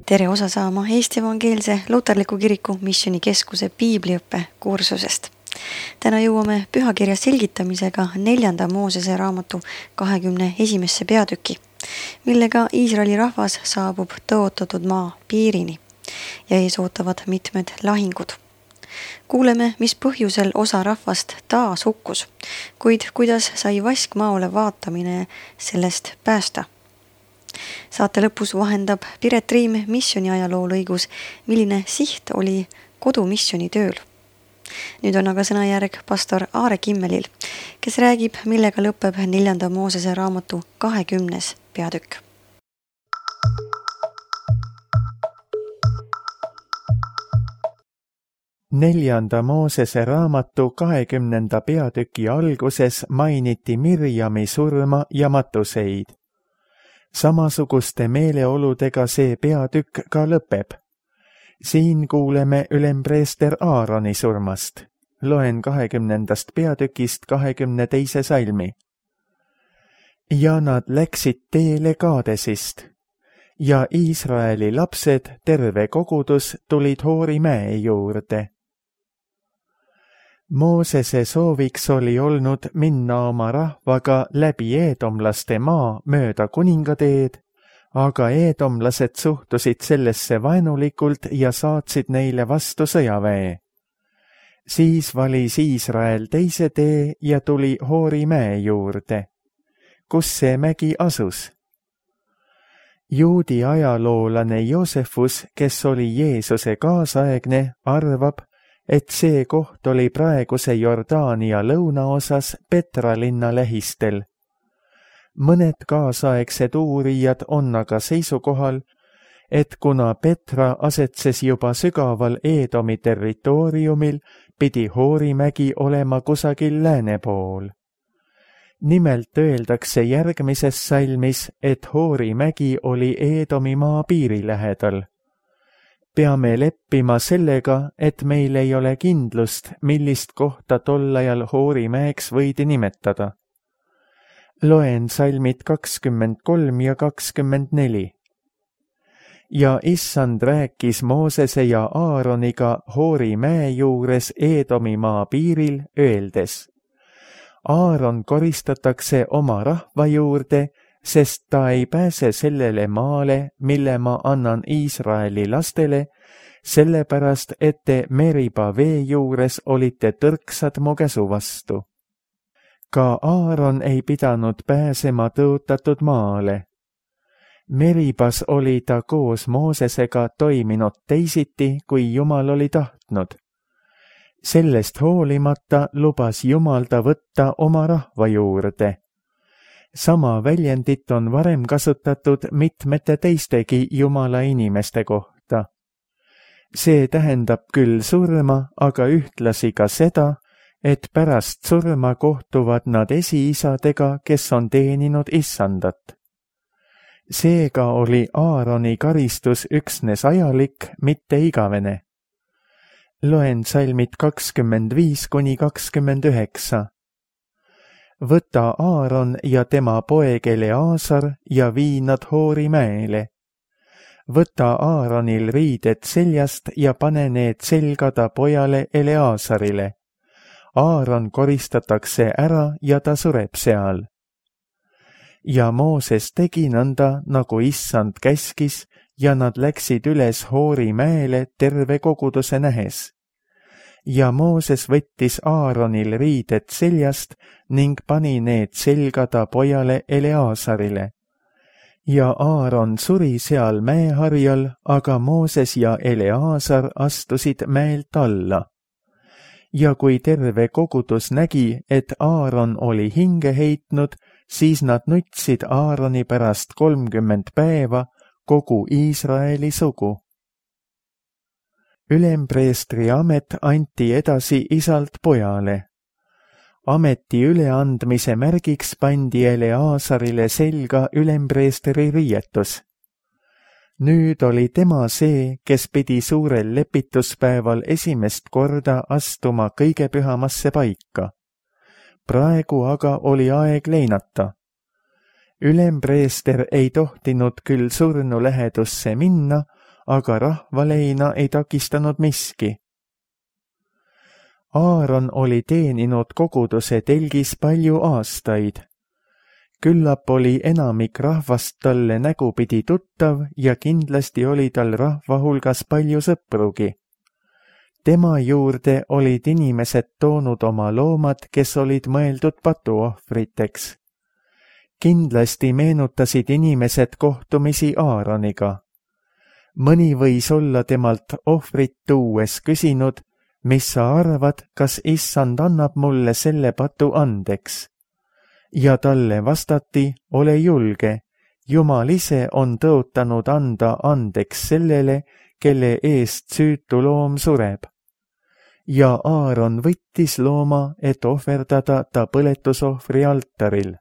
Tere osa saama Eesti Evangeelse Luterliku Kiriku Missioonikeskuse piibliõppe kursusest. Täna jõuame pühakirja selgitamisega 4. Moosese raamatu 21. peatüki, millega Iisraeli rahvas saabub tõotatud maa piirini ja ees ootavad mitmed lahingud. Kuuleme, mis põhjusel osa rahvast taas hukkus, kuid kuidas sai vaskmaole vaatamine sellest päästa. Saate lõpus vahendab Piret Riim missiooni ajaloo lõigus, milline siht oli kodumissiooni tööl. Nüüd on aga sõnajärg pastor Aare Kimmelil, kes räägib, millega lõpeb 4. Moosese raamatu 20. peatükk. Neljanda Moosese raamatu 20. peatüki alguses mainiti Mirjami surma ja matuseid. Samasuguste meeleoludega see peatükk ka lõpeb. Siin kuuleme ülempreester Aaroni surmast. Loen 20. peatükist 22. salmi. Ja nad läksid teele Kaadesist. Ja Iisraeli lapsed, terve kogudus, tulid Hoori mäe juurde. Moosese sooviks oli olnud minna oma rahvaga läbi eedomlaste maa mööda kuningateed, aga eedomlased suhtusid sellesse vaenulikult ja saatsid neile vastu sõjaväe. Siis valis Iisrael teise tee ja tuli Hoori mäe juurde. Kus see mägi asus? Juudi ajaloolane Joosefus, kes oli Jeesuse kaasaegne, arvab, et see koht oli praeguse Jordaania lõunaosas Petra linna lähistel. Mõned kaasaegsed uurijad on aga seisukohal, et kuna Petra asetses juba sügaval Eedomi territooriumil, pidi Hoori mägi olema kusagil lääne pool. Nimelt öeldakse järgmises salmis, et Hoori mägi oli Eedomi maa piiri lähedal. Peame leppima sellega, et meil ei ole kindlust, millist kohta tol ajal Hoori mäeks võidi nimetada. Loen salmid 23 ja 24. Ja issand rääkis Moosese ja Aaroniga Hoori mäe juures Eedomi maa piiril, öeldes: Aaron koristatakse oma rahva juurde, sest ta ei pääse sellele maale, mille ma annan Iisraeli lastele, sellepärast, et te Meriba vee juures olite tõrksad mu käsu vastu. Ka Aaron ei pidanud pääsema tõotatud maale. Meribas oli ta koos Moosesega toiminud teisiti, kui Jumal oli tahtnud. Sellest hoolimata lubas Jumal ta võtta oma rahva juurde. Sama väljendit on varem kasutatud mitmete teistegi Jumala inimeste kohta. See tähendab küll surma, aga ühtlasi ka seda, et pärast surma kohtuvad nad esiisadega, kes on teeninud issandat. Seega oli Aaroni karistus üksnes ajalik, mitte igavene. Loen salmid 25–29. Võta Aaron ja tema poeg Eleaasar ja vii nad Hoori mäele. Võta Aaronil riided seljast ja pane need selga ta pojale Eleaasarile. Aaron koristatakse ära ja ta sureb seal. Ja Mooses tegi nõnda, nagu issand käskis, ja nad läksid üles Hoori mäele terve koguduse nähes. Ja Mooses võttis Aaronil riided seljast ning pani need selga ta pojale Eleaasarile. Ja Aaron suri seal mäeharjal, aga Mooses ja Eleaasar astusid mäelt alla. Ja kui terve kogudus nägi, et Aaron oli hinge heitnud, siis nad nutsid Aaroni pärast 30 päeva, kogu Iisraeli sugu. Ülempreestri amet anti edasi isalt pojale. Ameti üleandmise märgiks pandi Eleaasarile selga ülempreestri riietus. Nüüd oli tema see, kes pidi suurel lepituspäeval esimest korda astuma kõige pühamasse paika. Praegu aga oli aeg leinata. Ülempreester ei tohtinud küll surnu lähedusse minna, aga rahvaleina ei takistanud miski. Aaron oli teeninud koguduse telgis palju aastaid. Küllap oli enamik rahvast talle nägupidi tuttav ja kindlasti oli tal rahva hulgas palju sõprugi. Tema juurde olid inimesed toonud oma loomad, kes olid mõeldud patuohvriteks. Kindlasti meenutasid inimesed kohtumisi Aaroniga. Mõni võis olla temalt ohvrit tuues küsinud, mis sa arvad, kas issand annab mulle selle patu andeks? Ja talle vastati, ole julge, Jumal ise on tõotanud anda andeks sellele, kelle eest süütu loom sureb. Ja Aaron võttis looma, et ohverdada ta põletusohvri altaril.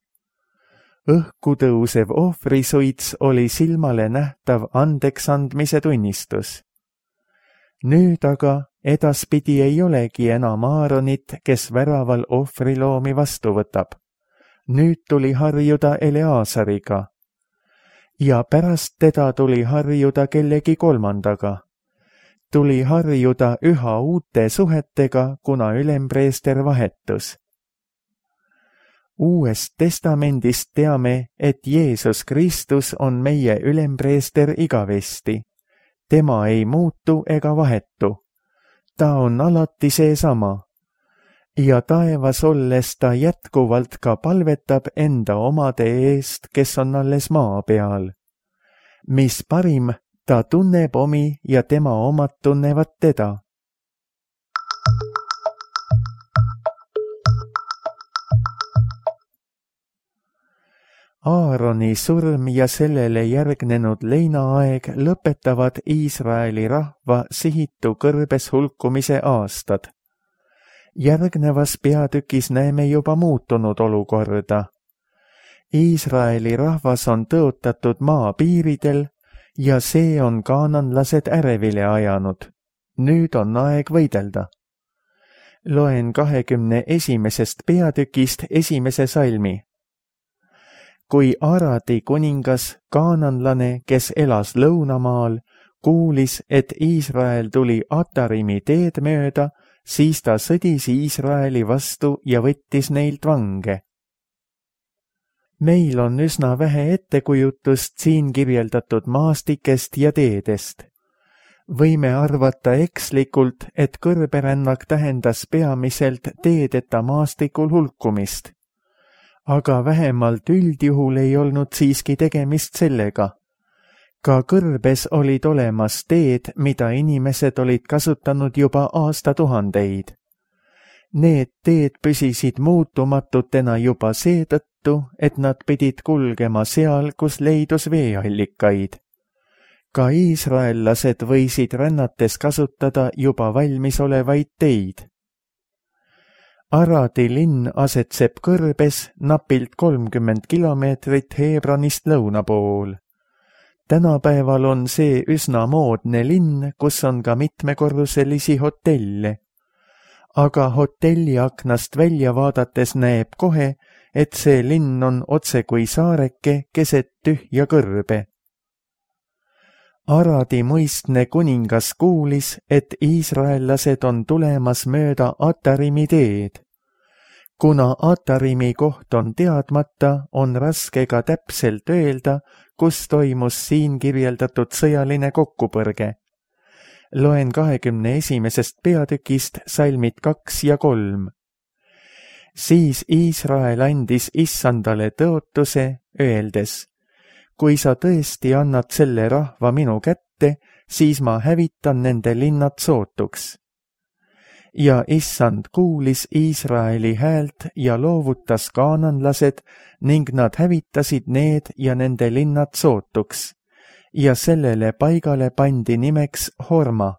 Õhku tõusev ohvrisuits oli silmale nähtav andeks andmise tunnistus. Nüüd aga edaspidi ei olegi enam Aaronit, kes väraval ohvriloomi vastu võtab. Nüüd tuli harjuda Eleasariga. Ja pärast teda tuli harjuda kellegi kolmandaga. Tuli harjuda üha uute suhetega, kuna ülempreester vahetus. Uuest testamendist teame, et Jeesus Kristus on meie ülempreester igavesti. Tema ei muutu ega vahetu. Ta on alati seesama. Ja taevas olles ta jätkuvalt ka palvetab enda omade eest, kes on alles maa peal. Mis parim, ta tunneb omi ja tema omad tunnevad teda. Aaroni surm ja sellele järgnenud leinaaeg lõpetavad Iisraeli rahva sihitu kõrbes hulkumise aastad. Järgnevas peatükis näeme juba muutunud olukorda. Iisraeli rahvas on tõotatud maa piiridel ja see on kaananlased ärevile ajanud. Nüüd on aeg võidelda. Loen 21. peatükist 1. salmi. Kui Aradi kuningas, kaananlane, kes elas lõunamaal, kuulis, et Iisrael tuli Atarimi teed mööda, siis ta sõdis Iisraeli vastu ja võttis neilt vange. Meil on üsna vähe ettekujutust siin kirjeldatud maastikest ja teedest. Võime arvata ekslikult, et kõrberännak tähendas peamiselt teedeta maastikul hulkumist. Aga vähemalt üldjuhul ei olnud siiski tegemist sellega. Ka kõrbes olid olemas teed, mida inimesed olid kasutanud juba aastatuhandeid. Need teed püsisid muutumatutena juba seetõttu, et nad pidid kulgema seal, kus leidus veeallikaid. Ka iisraellased võisid rännates kasutada juba valmisolevaid teid. Aradi linn asetseb kõrbes napilt 30 kilomeetrit Hebronist lõuna pool. Tänapäeval on see üsna moodne linn, kus on ka mitmekorruselisi hotelle. Aga hotelli aknast välja vaadates näeb kohe, et see linn on otse kui saareke keset tühja kõrbe. Aradi muistne kuningas kuulis, et iisraellased on tulemas mööda Atarimi teed. Kuna Atarimi koht on teadmata, on raske ka täpselt öelda, kus toimus siin kirjeldatud sõjaline kokkupõrge. Loen 21. peatükist salmid 2 ja 3. Siis Iisrael andis issandale tõotuse, öeldes, kui sa tõesti annad selle rahva minu kätte, siis ma hävitan nende linnad sootuks. Ja issand kuulis Iisraeli häält ja loovutas kaananlased ning nad hävitasid need ja nende linnad sootuks. Ja sellele paigale pandi nimeks Horma.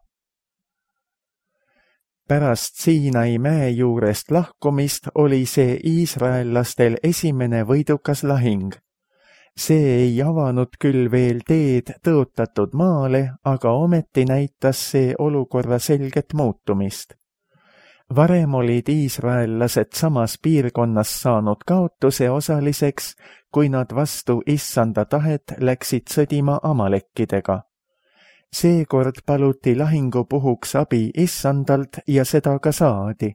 Pärast Siinai mäe juurest lahkumist oli see iisraellastel esimene võidukas lahing. See ei avanud küll veel teed tõotatud maale, aga ometi näitas see olukorra selget muutumist. Varem olid iisraellased samas piirkonnas saanud kaotuse osaliseks, kui nad vastu issanda tahet läksid sõdima amalekkidega. Seekord paluti lahingupuhuks abi issandalt ja seda ka saadi.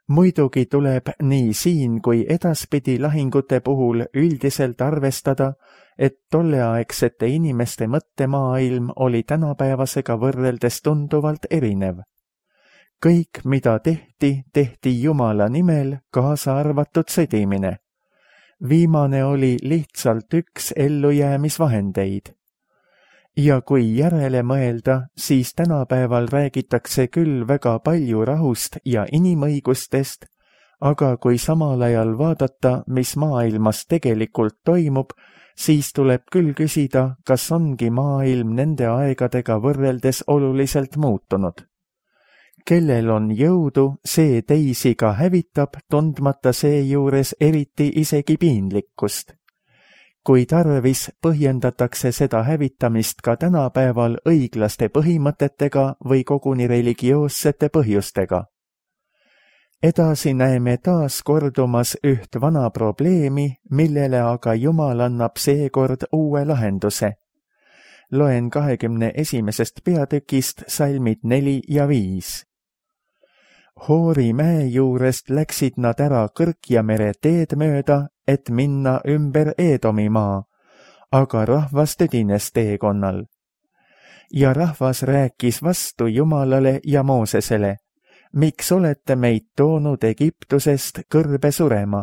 Muidugi tuleb nii siin kui edaspidi lahingute puhul üldiselt arvestada, et tolleaegsete inimeste mõttemaailm oli tänapäevasega võrreldes tunduvalt erinev. Kõik, mida tehti Jumala nimel, kaasa arvatud sõdimine. Viimane oli lihtsalt üks ellujäämisvahendeid. Ja kui järele mõelda, siis tänapäeval räägitakse küll väga palju rahust ja inimõigustest, aga kui samal ajal vaadata, mis maailmas tegelikult toimub, siis tuleb küll küsida, kas ongi maailm nende aegadega võrreldes oluliselt muutunud. Kellel on jõudu, see teisi ka hävitab, tundmata seejuures eriti isegi piinlikkust. Kui tarvis, põhjendatakse seda hävitamist ka tänapäeval õiglaste põhimõtetega või koguni religioossete põhjustega. Edasi näeme taas kordumas üht vana probleemi, millele aga Jumal annab seekord uue lahenduse. Loen 21. peatükist salmid 4 ja 5. Hoori mäe juurest läksid nad ära Kõrkja mere teed mööda, et minna ümber Eedomi maa, aga rahvas tüdines teekonnal. Ja rahvas rääkis vastu Jumalale ja Moosesele, miks olete meid toonud Egiptusest kõrbe surema,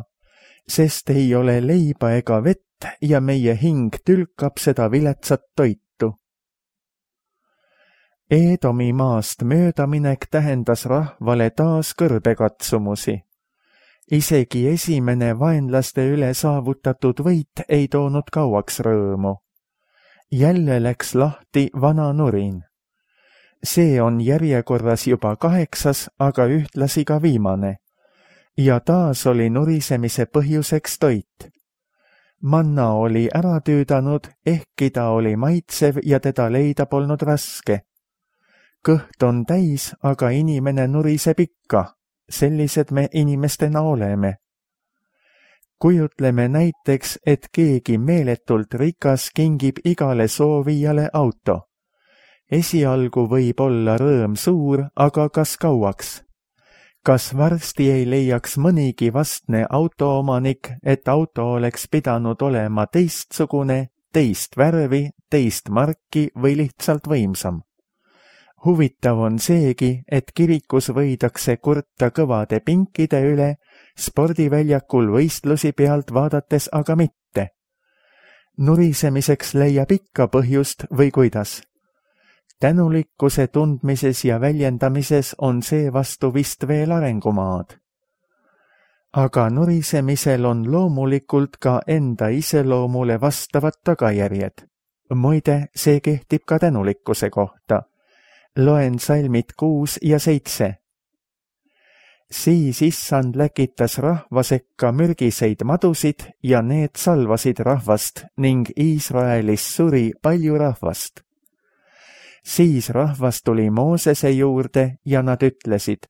sest ei ole leiba ega vett ja meie hing tülkab seda viletsat toitu. Eedomi maast möödaminek tähendas rahvale taas kõrbekatsumusi. Isegi esimene vaenlaste üle saavutatud võit ei toonud kauaks rõõmu. Jälle läks lahti vana nurin. See on järjekorras juba 8, aga ühtlasi ka viimane. Ja taas oli nurisemise põhjuseks toit. Manna oli ära tüüdanud, ehkki ta oli maitsev ja teda leida polnud raske. Kõht on täis, aga inimene nuriseb ikka. Sellised me inimestena oleme. Kujutleme näiteks, et keegi meeletult rikas kingib igale soovijale auto. Esialgu võib olla rõõm suur, aga kas kauaks? Kas varsti ei leiaks mõnigi vastne autoomanik, et auto oleks pidanud olema teistsugune, teist värvi, teist marki või lihtsalt võimsam? Huvitav on seegi, et kirikus võidakse kurta kõvade pinkide üle, spordiväljakul võistlusi pealt vaadates aga mitte. Nurisemiseks leiab ikka põhjust või kuidas? Tänulikkuse tundmises ja väljendamises on seevastu vist veel arengumaad. Aga nurisemisel on loomulikult ka enda iseloomule vastavad tagajärjed. Muide, see kehtib ka tänulikkuse kohta. Loen salmid 6 ja 7. Siis issand läkitas rahva sekka mürgiseid madusid ja need salvasid rahvast ning Iisraelis suri palju rahvast. Siis rahvas tuli Moosese juurde ja nad ütlesid,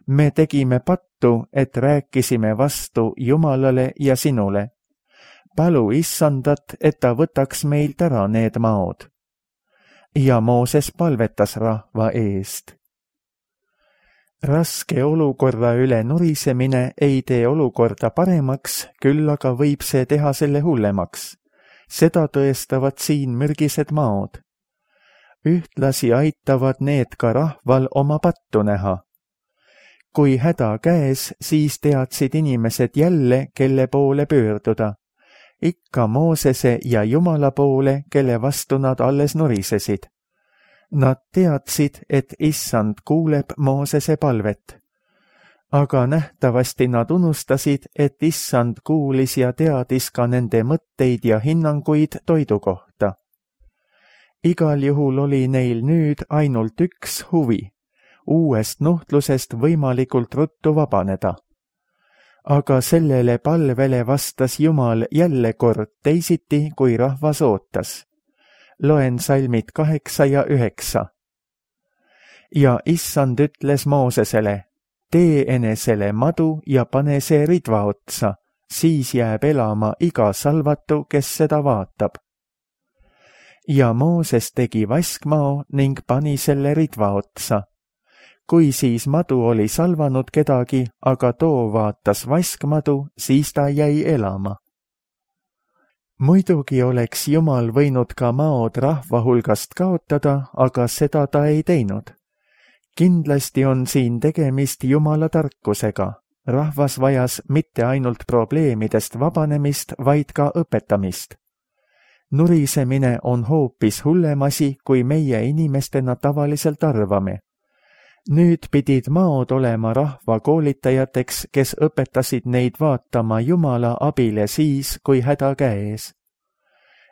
me tegime pattu, et rääkisime vastu Jumalale ja sinule. Palu issandat, et ta võtaks meilt ära need maod. Ja Mooses palvetas rahva eest. Raske olukorra üle nurisemine ei tee olukorda paremaks, küll aga võib see teha selle hullemaks. Seda tõestavad siin mürgised maod. Ühtlasi aitavad need ka rahval oma pattu näha. Kui häda käes, siis teadsid inimesed jälle, kelle poole pöörduda. Ikka Moosese ja Jumala poole, kelle vastu nad alles nurisesid. Nad teadsid, et issand kuuleb Moosese palvet. Aga nähtavasti nad unustasid, et issand kuulis ja teadis ka nende mõtteid ja hinnanguid toidu kohta. Igal juhul oli neil nüüd ainult üks huvi, uuest nuhtlusest võimalikult ruttu vabaneda. Aga sellele palvele vastas Jumal jälle kord teisiti, kui rahvas ootas. Loen salmid 8 ja 9. Ja issand ütles Moosesele, tee enesele madu ja pane see ridva otsa, siis jääb elama iga salvatu, kes seda vaatab. ja Mooses tegi vaskmao ning pani selle ridva otsa. Kui siis madu oli salvanud kedagi, aga too vaatas vaskmadu, siis ta jäi elama. Muidugi oleks Jumal võinud ka maod rahva hulgast kaotada, aga seda ta ei teinud. Kindlasti on siin tegemist Jumala tarkusega. Rahvas vajas mitte ainult probleemidest vabanemist, vaid ka õpetamist. Nurisemine on hoopis hullem asi, kui meie inimestena tavaliselt arvame. Nüüd pidid maod olema rahva koolitajateks, kes õpetasid neid vaatama Jumala abile siis, kui häda käes.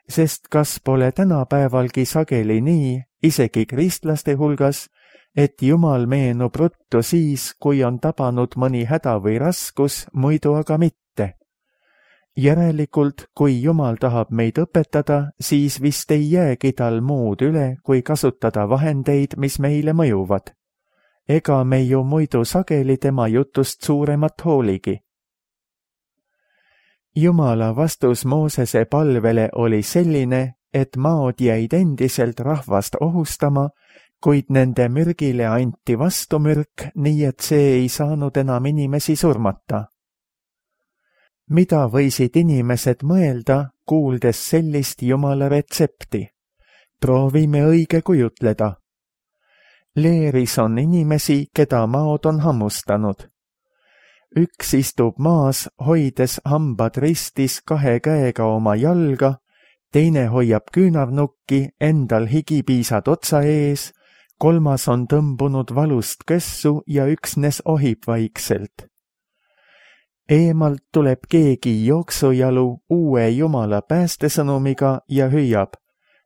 Sest kas pole tänapäevalgi sageli nii, isegi kristlaste hulgas, et Jumal meenub ruttu siis, kui on tabanud mõni häda või raskus, muidu aga mitte. Järelikult, kui Jumal tahab meid õpetada, siis vist ei jäägi tal muud üle, kui kasutada vahendeid, mis meile mõjuvad. Ega me ju muidu sageli tema jutust suuremat hooligi. Jumala vastus Moosese palvele oli selline, et maod jäid endiselt rahvast ohustama, kuid nende mürgile anti vastumürk, nii et see ei saanud enam inimesi surmata. Mida võisid inimesed mõelda, kuuldes sellist Jumala retsepti? Proovime õige kujutleda. Leeris on inimesi, keda maod on hammustanud. Üks istub maas, hoides hambad ristis 2 käega oma jalga, teine hoiab küünarnukki, endal higipiisad otsa ees, 3 on tõmbunud valust kössu ja üksnes ohib vaikselt. Eemalt tuleb keegi jooksujalu uue Jumala päästesõnumiga ja hüüab: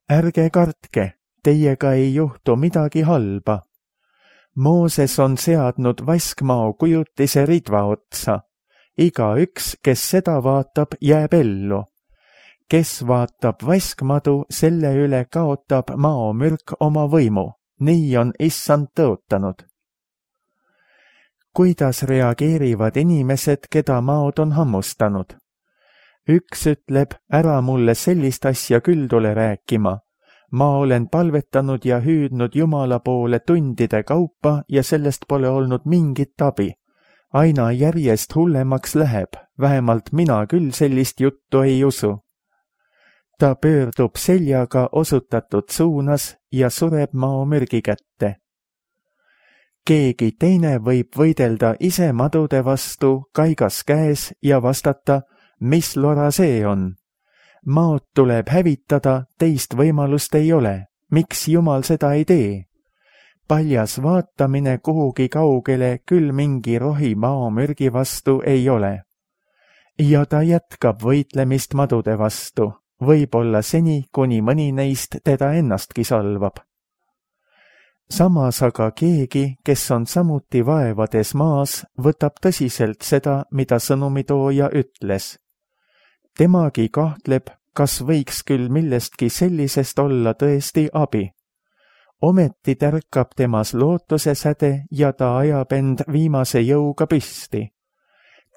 ärge kartke, teiega ei juhtu midagi halba. Mooses on seadnud vaskmao kujutise ridva otsa. Igaüks, kes seda vaatab, jääb ellu. Kes vaatab vaskmadu, selle üle kaotab maomürk oma võimu. Nii on issand tõotanud. Kuidas reageerivad inimesed, keda maod on hammustanud? Üks ütleb: ära mulle sellist asja küll tule rääkima. Ma olen palvetanud ja hüüdnud Jumala poole tundide kaupa ja sellest pole olnud mingit abi. Aina järjest hullemaks läheb, vähemalt mina küll sellist juttu ei usu. Ta pöördub seljaga osutatud suunas ja sureb maomürgi kätte. Keegi teine võib võidelda ise madude vastu, kaigas käes ja vastata: mis lora see on? Maod tuleb hävitada, teist võimalust ei ole. Miks Jumal seda ei tee? Paljas vaatamine kuhugi kaugele küll mingi rohi maomürgi vastu ei ole. Ja ta jätkab võitlemist madude vastu, võib-olla seni, kuni mõni neist teda ennastki salvab. Samas aga keegi, kes on samuti vaevades maas, võtab tõsiselt seda, mida sõnumitooja ütles. Temagi kahtleb, kas võiks küll millestki sellisest olla tõesti abi. Ometi tärkab temas lootuse säde ja ta ajab end viimase jõuga püsti.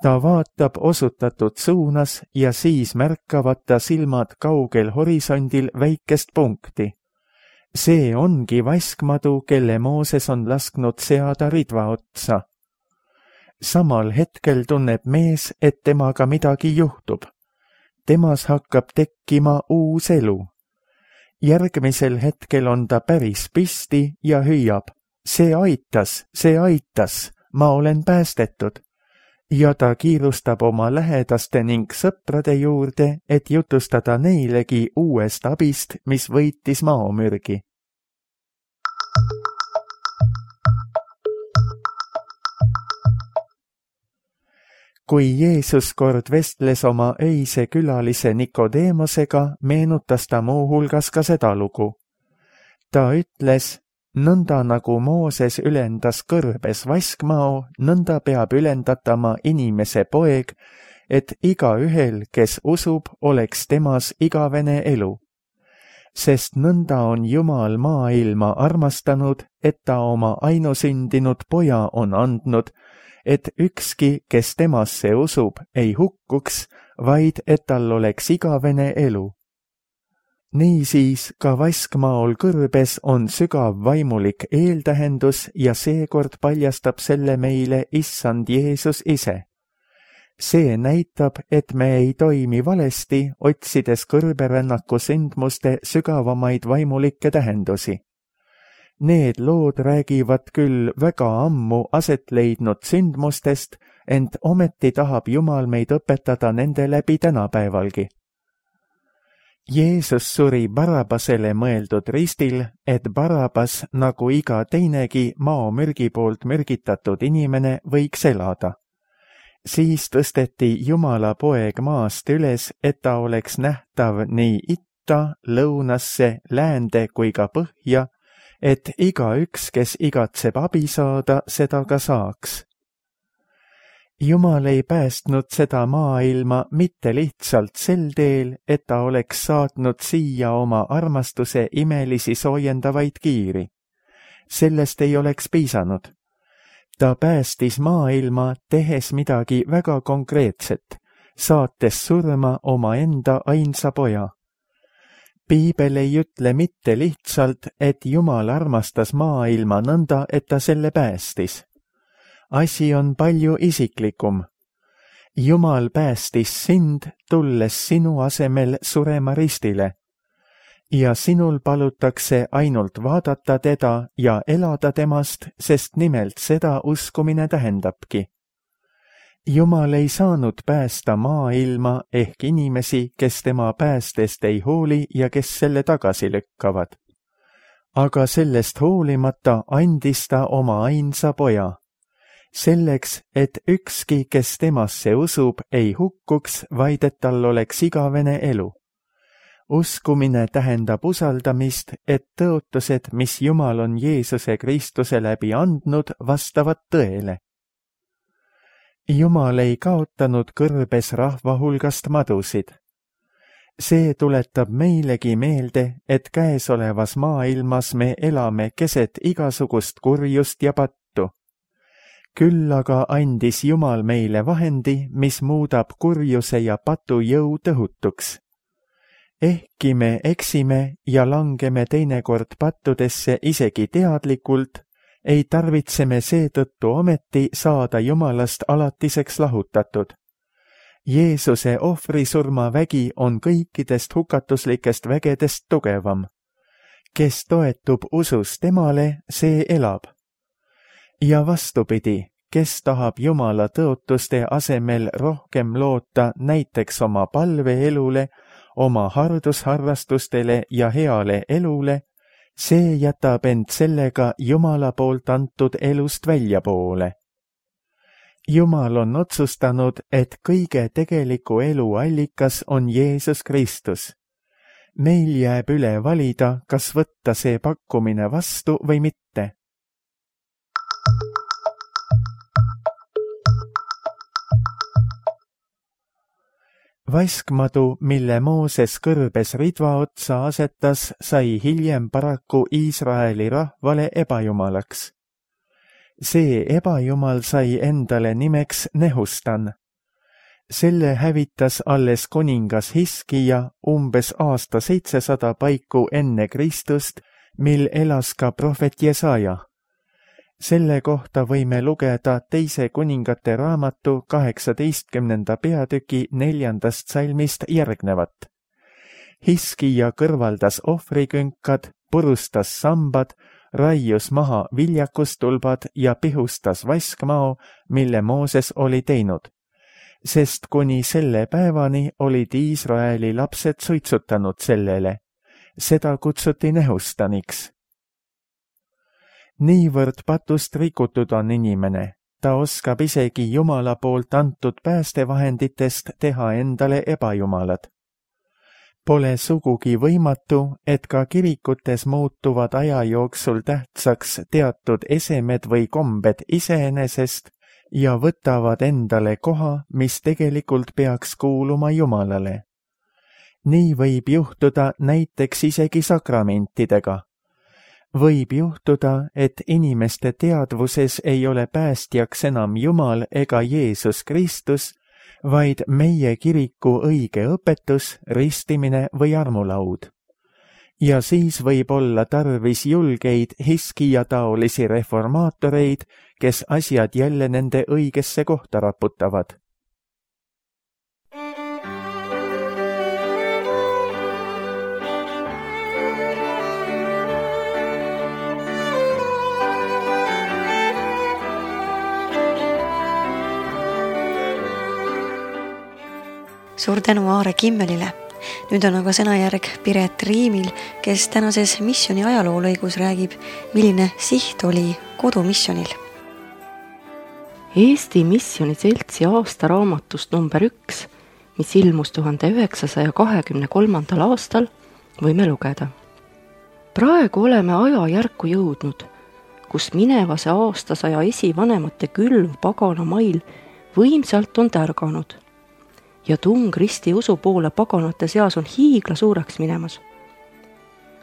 Ta vaatab osutatud suunas ja siis märkavad ta silmad kaugel horisondil väikest punkti. See ongi vaskmadu, kelle Mooses on lasknud seada ridva otsa. Samal hetkel tunneb mees, et temaga midagi juhtub. Temas hakkab tekkima uus elu. Järgmisel hetkel on ta päris püsti ja hüüab: see aitas, ma olen päästetud. Ja ta kiirustab oma lähedaste ning sõprade juurde, et jutustada neilegi uuest abist, mis võitis maomürgi. Kui Jeesus kord vestles oma öise külalise Nikodeemosega, meenutas ta muuhulgas ka seda lugu. Ta ütles: nõnda nagu Mooses ülendas kõrbes vaskmao, nõnda peab ülendatama inimese poeg, et igaühel, kes usub, oleks temas igavene elu. Sest nõnda on Jumal maailma armastanud, et ta oma ainusündinud poja on andnud, et ükski, kes temasse usub, ei hukkuks, vaid et tal oleks igavene elu. Niisiis ka Vaskmaol kõrbes on sügav vaimulik eeltähendus ja seekord paljastab selle meile Issand Jeesus ise. See näitab, et me ei toimi valesti, otsides kõrberännaku sündmuste sügavamaid vaimulikke tähendusi. Need lood räägivad küll väga ammu aset leidnud sündmustest, ent ometi tahab Jumal meid õpetada nende läbi tänapäevalgi. Jeesus suri Barabasele mõeldud ristil, et Barabas, nagu iga teinegi maomürgi poolt mürgitatud inimene, võiks elada. Siis tõsteti Jumala poeg maast üles, et ta oleks nähtav nii itta, lõunasse, läände kui ka põhja, et igaüks, kes igatseb abi saada, seda ka saaks. Jumal ei päästnud seda maailma mitte lihtsalt sel teel, et ta oleks saatnud siia oma armastuse imelisi soojendavaid kiiri. Sellest ei oleks piisanud. Ta päästis maailma, tehes midagi väga konkreetset, saates surma omaenda ainsa poja. Piibel ei ütle mitte lihtsalt, et Jumal armastas maailma nõnda, et ta selle päästis. Asi on palju isiklikum. Jumal päästis sind, tulles sinu asemel surema ristile. Ja sinul palutakse ainult vaadata teda ja elada temast, sest nimelt seda uskumine tähendabki. Jumal ei saanud päästa maailma ehk inimesi, kes tema päästest ei hooli ja kes selle tagasi lükkavad. Aga sellest hoolimata andis ta oma ainsa poja. Selleks, et ükski, kes temasse usub, ei hukkuks, vaid et tal oleks igavene elu. Uskumine tähendab usaldamist, et tõotused, mis Jumal on Jeesuse Kristuse läbi andnud, vastavad tõele. Jumal ei kaotanud kõrbes rahva hulgast madusid. See tuletab meilegi meelde, et käesolevas maailmas me elame keset igasugust kurjust ja pattu. Küll aga andis Jumal meile vahendi, mis muudab kurjuse ja patu jõu tõhutuks. Ehkki me eksime ja langeme teinekord pattudesse isegi teadlikult, ei tarvitse me seetõttu ometi saada Jumalast alatiseks lahutatud. Jeesuse ohvrisurma vägi on kõikidest hukatuslikest vägedest tugevam. Kes toetub usus temale, see elab. Ja vastupidi, kes tahab Jumala tõotuste asemel rohkem loota näiteks oma palveelule, oma hardusharrastustele ja heale elule, see jätab end sellega Jumala poolt antud elust väljapoole. Jumal on otsustanud, et kõige tegeliku elu allikas on Jeesus Kristus. Meil jääb üle valida, kas võtta see pakkumine vastu või mitte. Vaskmadu, mille Mooses kõrbes ridva otsa asetas, sai hiljem paraku Iisraeli rahvale ebajumalaks. See ebajumal sai endale nimeks Nehustan. Selle hävitas alles kuningas Hiskija umbes aasta 700 paiku enne Kristust, mil elas ka prohvet Jesaja. Selle kohta võime lugeda Teise kuningate raamatu 18. peatüki 4. salmist järgnevat. Hiskija kõrvaldas ohvrikünkad, purustas sambad, raius maha viljakustulbad ja pihustas vaskmao, mille Mooses oli teinud. Sest kuni selle päevani olid Iisraeli lapsed suitsutanud sellele. Seda kutsuti Nehustaniks. Niivõrd patust rikutud on inimene, ta oskab isegi Jumala poolt antud päästevahenditest teha endale ebajumalad. Pole sugugi võimatu, et ka kirikutes muutuvad aja jooksul tähtsaks teatud esemed või kombed iseenesest ja võtavad endale koha, mis tegelikult peaks kuuluma Jumalale. Nii võib juhtuda näiteks isegi sakramentidega. Võib juhtuda, et inimeste teadvuses ei ole päästjaks enam Jumal ega Jeesus Kristus, vaid meie kiriku õige õpetus, ristimine või armulaud. ja siis võib olla tarvis julgeid Hiskia-taolisi reformaatoreid, kes asjad jälle nende õigesse kohta raputavad. Suur tänu Aare Kimmelile. Nüüd on aga sõnajärg Piret Riimil, kes tänases missiooni ajaloolõigus räägib, milline siht oli kodumissionil. Eesti Missiooni Seltsi aastaraamatust number 1, mis ilmus 1923. aastal, võime lugeda. Praegu oleme ajajärku jõudnud, kus minevase aastasaja esivanemate külv pagana mail võimsalt on tärganud ja tung risti usu poole paganate seas on hiigla suureks minemas.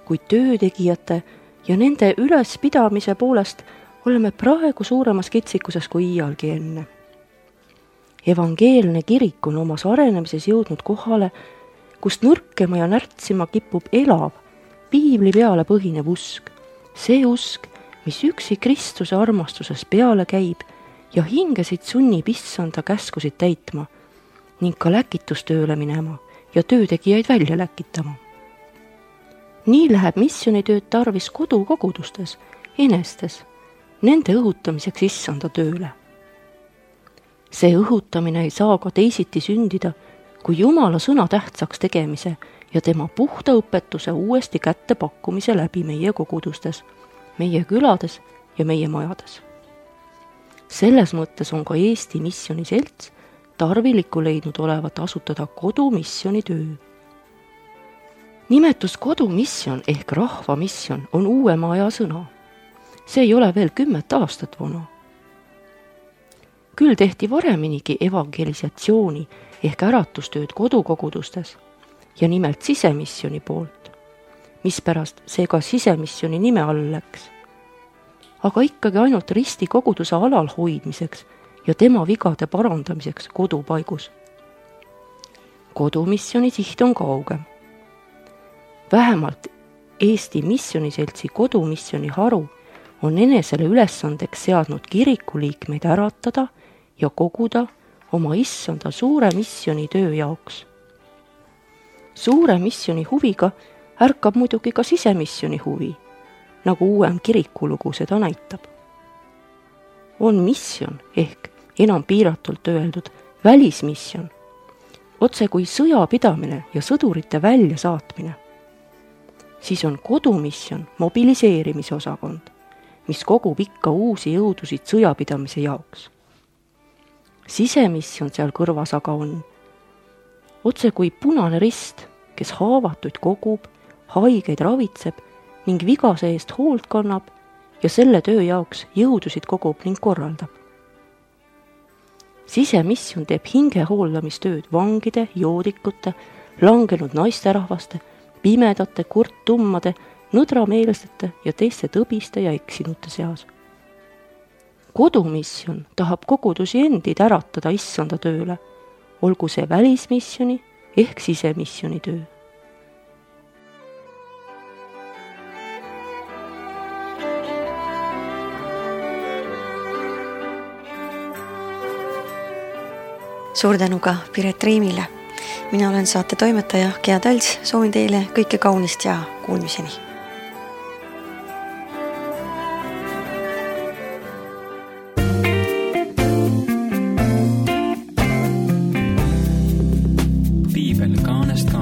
Kuid töötegijate ja nende ülespidamise poolest oleme praegu suuremas kitsikuses kui iialgi enne. Evangeelne kirik on omas arenemises jõudnud kohale, kust nõrkema ja närtsima kipub elav, piibli peale põhinev usk. See usk, mis üksi Kristuse armastuses peale käib ja hingesid sunnib issanda käskusid täitma ning ka läkitustööle minema ja töötegijaid välja läkitama. Nii läheb missionitööd tarvis kodukogudustes, enestes, nende õhutamiseks issanda tööle. See õhutamine ei saa ka teisiti sündida, kui Jumala sõna tähtsaks tegemise ja tema puhta õpetuse uuesti kätte pakkumise läbi meie kogudustes, meie külades ja meie majades. Selles mõttes on ka Eesti Missiooni Selts tarviliku leidnud olevat asutada kodumissioni töö. Nimetus kodumission ehk rahvamission on uuema aja sõna. See ei ole veel 10 aastat vana. Küll tehti vareminigi evangelisatsiooni ehk äratustööd kodukogudustes ja nimelt sisemissioni poolt, mispärast see ka sisemissioni nime all läks. Aga ikkagi ainult risti koguduse alal hoidmiseks ja tema vigade parandamiseks kodupaigus. Kodumissioni siht on kaugem. Vähemalt Eesti Missiooni Seltsi kodumissioni haru on enesele ülesandeks seadnud kirikuliikmeid äratada ja koguda oma issanda suure missioni töö jaoks. Suure missioni huviga ärkab muidugi ka sisemissioni huvi, nagu uuem kirikulugu seda näitab. On mission ehk enam piiratult öeldud välismission, otse kui sõjapidamine ja sõdurite väljasaatmine. Siis on kodumission mobiliseerimise osakond, mis kogub ikka uusi jõudusid sõjapidamise jaoks. Sisemission seal kõrvas aga on otse kui Punane Rist, kes haavatuid kogub, haigeid ravitseb ning vigase eest hoolt kannab ja selle töö jaoks jõudusid kogub ning korraldab. Sisemission teeb hingehooldamistööd vangide, joodikute, langenud naisterahvaste, pimedate, kurttummade, nõdrameelsete ja teiste tõbiste ja eksinute seas. Kodumission tahab kogudusi endid äratada issanda tööle, olgu see välismissioni ehk sisemissioni töö. Suur tänu ka Piret Riimile. Mina olen saate toimetaja Gea Talts, soovin teile kõike kaunist ja kuulmiseni. Piibel kaanest